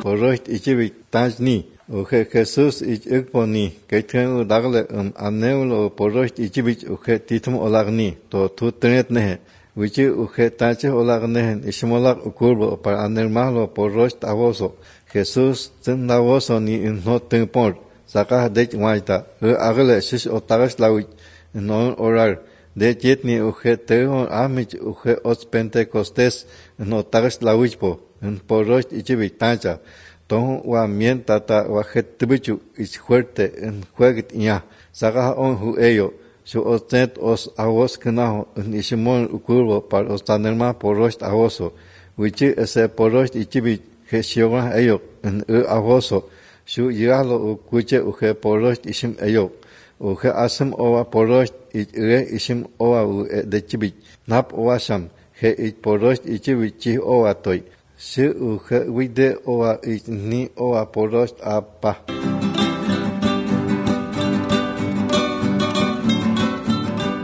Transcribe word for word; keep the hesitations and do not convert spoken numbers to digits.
porocht ichibik tajni. Uche Jesús ich ikponi, keitken u dagle um aneulo porocht ichibik uche titum olagni, to tu trenet nehe. Wichi uche tache olagnehen, ishmolak ukurbo para anermalo porocht avoso. Jesús ten davoso ni in no tempor, saka dech waita, u agle shish otagas lawich, non orar. De jetni uche teon amich uche os Pentecostés, no tagas lawichpo, en porocht ichibik tacha. Ton wa mien tata wa jetbichu is fuerte en juegit ya saga on hu ello su ostet os avos knaho en ishimon ukurbo par os tanerma porost avoso wichi ese porost ichibi gesiona ello en e avoso su yalo ukuche uke porost ishim ello uke asem owa porost ire ishim owa u de chibi nap owasam he it porost ichibi chi owa toy si uke wide owa ni owa porost apa.